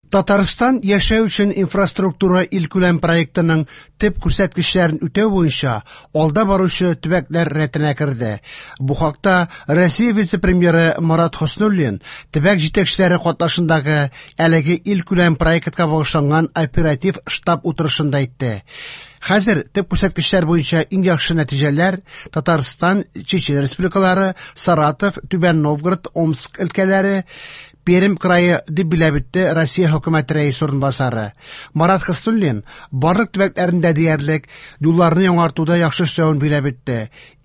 Татарстан яшәү өчен инфраструктура илкүләм проектының төп күрсәткечләрен үтәү буенча алда баручы төбәкләр рәтенә керде. Бу хакта Россия вице-премьеры Марат Хөснуллин төбәк җитәкчеләре катнашындагы әлеге илкүләм проектка багышланган оператив штаб утырышында әйтте. Хәзер төп күрсәткечләр буенча иң яхшы нәтиҗәләр Татарстан, Чечен республикалары, Саратов, Түбән Новгород, Омск өлкәләре, Пермь крае дип билгеләп үтте Россия хөкүмәте рәисе урынбасары. Марат Хөснуллин барлык төбәкләрендә диярлек юлларны яңартуда яхшы эшләвен билгеләп үтте.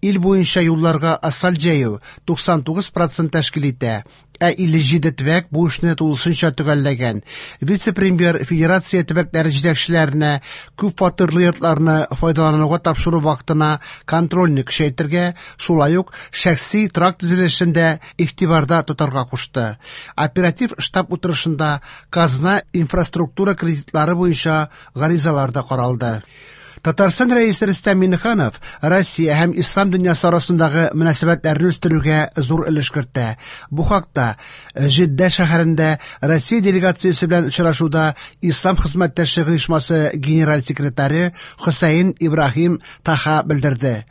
Ил буенча юлларга асфальт җәю 99% тәшкил итә, ә 57 төбәк бу эшне тулысынча төгәлләгән. Вице-премьер федерация төбәкләре җитәкчеләренә күп фатирлы йортларны файдалануга тапшыру вакытына контрольне көчәйтергә, шулай ук шәхси торак төзелешен дә игътибарда тотарга кушты. Оператив штаб утырышында казна инфраструктура кредитлары буенча гаризалар да каралды. Татарстан рәисе Рөстәм Миңнеханов Россия һәм ислам дөньясы арасындагы мөнәсәбәтләрне үстерүгә зур өлеш кертә. Бу хакта Җиддә шәһәрендә Россия делегациясе белән очрашуда Ислам хезмәттәшлеге оешмасы генераль секретаре Хөсәен Ибраһим Таха белдерде.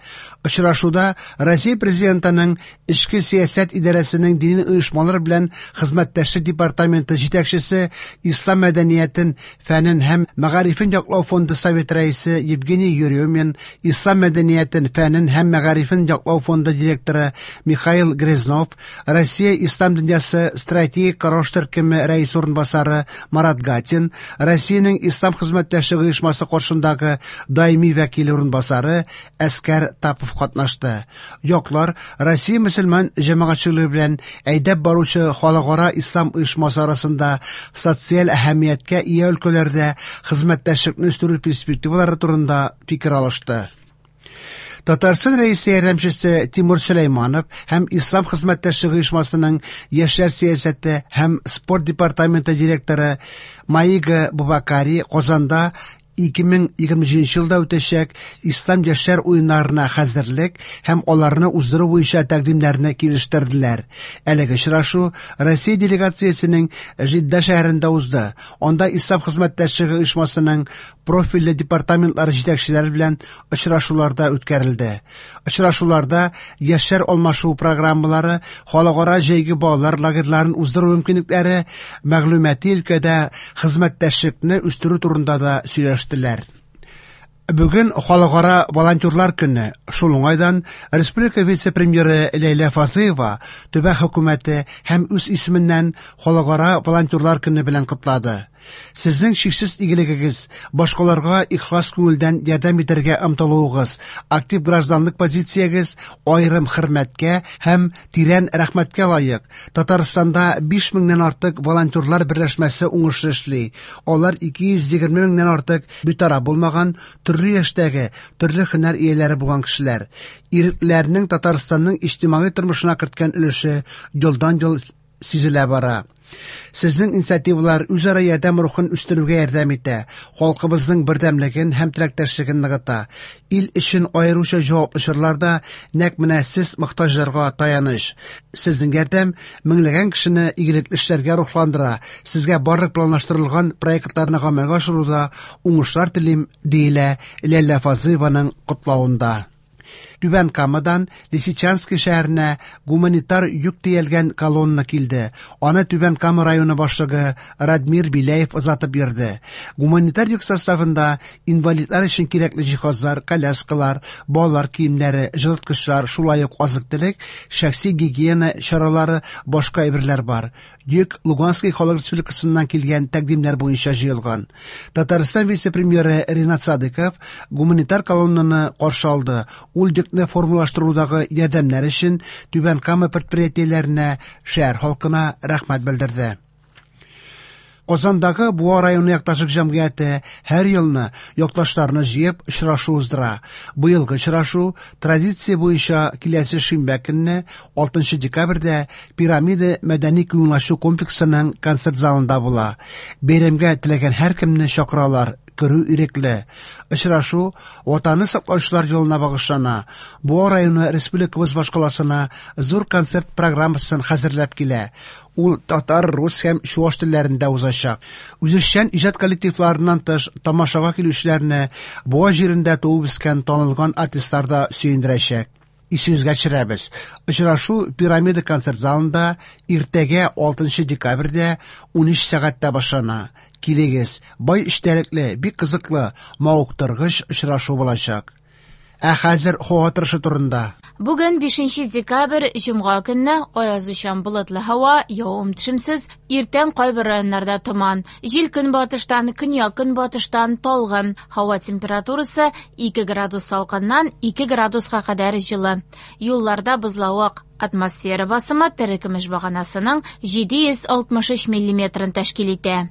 Очрашуда Россия президентының Эчке сәясәт идарәсенең дини оешмалар белән хезмәттәшлек департаменты җитәкчесе, Ислам мәдәниятен, фәнен һәм мәгарифен яклау фонды совет рәисе Евгений Еремин, Ислам мәдәниятен, фәнен һәм мәгарифен яклау фонды директоры Михаил Грязнов, Россия Ислам дөньясы стратегик караш төркеме рәисе урынбасары Марат Гатин, Россиянең Ислам хезмәттәшлеге оешмасы каршындагы даими вәкиле урынбасары Әскәр Тапов катнашты. Яклар Россия мөселман җәмәгатьчелеге белән әйдәп баручы халыкара ислам оешмасы арасында социаль әһәмияткә ия өлкәләрдә хезмәттәшлекне үстерү перспективалары турында фикер алышты. Татарстан рәисе ярдәмчесе Тимур Сөләйманов һәм Ислам хезмәттәшлеге оешмасының яшьләр сәясәте һәм спорт департаменты директоры Маига Бубакари Казанда 2027 елда үтәчәк Ислам яшьләр уеннарына хәзерлек һәм аларны уздыру буенча тәкъдимнәрне килештерделәр. Әлеге очрашу Россия делегациясенең Җидда шәһәрендә узды. Анда Ислам хезмәттәшлеге оешмасының профильле департаментлары җитәкчеләре белән очрашуларда үткәрелде. Очрашуларда яшьләр алмашу программалары, халыкара җәйге балалар лагерьларын уздыру мөмкинлекләре, мәгълүмати өлкәдә хезмәттәшлекне үстерү турында да сөйләштеләр. Бүген халыкара волонтерлар көне. Шул уңайдан республика вице-премьеры Ләйлә Фазлыева төбәк хөкүмәте һәм үз исеменнән халыкара волонтерлар көне белән котлады. Сезнең шиксез игелегегез, башкаларга ихлас күңелдән ярдәм итәргә омтылуыгыз, актив гражданлык позициягез аерым хөрмәткә һәм тирән рәхмәткә лаек. Татарстанда 5 меңнән артык волонтерлар берләшмәсе уңышлы эшли. Алар 220 меңнән артык битараф булмаган төрле яшьтәге, төрле һөнәр ияләре булган кешеләр. Иреклеләрнең Татарстанның иҗтимагый тормышына керткән өлеше елдан-ел сизелә бара. Сезнең инициативалар үзара ярдәм рухын үстерүгә ярдәм итә, халкыбызның бердәмлеген һәм теләктәшлеген ныгыта. Ил өчен аеруча җаваплы чорларда нәкъ менә сез мохтаҗларга таяныч. Сезнең ярдәм меңләгән кешене игелекле эшләргә рухландыра. Сезгә барлык планлаштырылган проектларны гамәлгә ашыруда уңышлар телим, диелә Ләйлә Фазлыеваның котлавында. Түбән Камадан Лисичанский шәһәренә гуманитар йөк төялгән колонна килде. Аны Түбән Кама районы башлыгы Радмир Беляев озатып йөрде. Гуманитар йөк составында инвалидлар өчен кирәкле җиһазлар, коляскалар, балалар киемнәре, җылыткычлар, шулай ук азык-төлек, шәхси гигиена чаралары, башка әйберләр бар. Йөк Луганский халык республикасыннан килгән тәкъдимнәр буенча җыелган. Татарстан вице-премьеры Ринат Садыков гуманитар колоннаны каршы алды. Ул йөкне формалаштырудагы ярдәмнәр өчен Түбән Кама предприятиеләренә, шәһәр халкына рәхмәт белдерде. Казандагы Буа районы якташлык җәмгыяте һәр елны якташларны җыеп очрашу уздыра. Быелгы очрашу традиция буенча киләсе шимбә көнне 6 декабрьдә Пирамида мәдәни күңел ачу комплексының концерт залында була. Бәйрәмгә теләгән һәркемне чакыралар. Керү ирекле. Очрашу Ватанны саклаучылар елына багышлана. Буа районы республикабыз башкаласына зур концерт программасын хәзерләп килә. Ул татар, рус һәм чуаш телләрендә узачак. Үзешчән иҗат коллективларыннан тыш, тамашага килүчеләрне Буа җирендә туып үскән танылган артистлар да сөендерәчәк. Исегезгә төшерәбез, очрашу Пирамида концерт залында иртәгә 6 декабрьдә 13 сәгатьтә башлана. Килегез, бай эчтәлекле, бик кызыклы, мавыктыргыч очрашу булачак. Ә хәзер һава торышы турында. Бүген 5 декабрь, җомга көнне аязучан болытлы һава, явым-төшемсез, иртән кайбер районнарда томан. Җил көнбатыштан, көньяк-көнбатыштан талгын. Һава температурасы 2 градус салкыннан 2 градуска кадәр җылы. Юлларда бозлавык. Атмосфера басымы терекөмеш баганасының 763 миллиметрын тәшкил итә.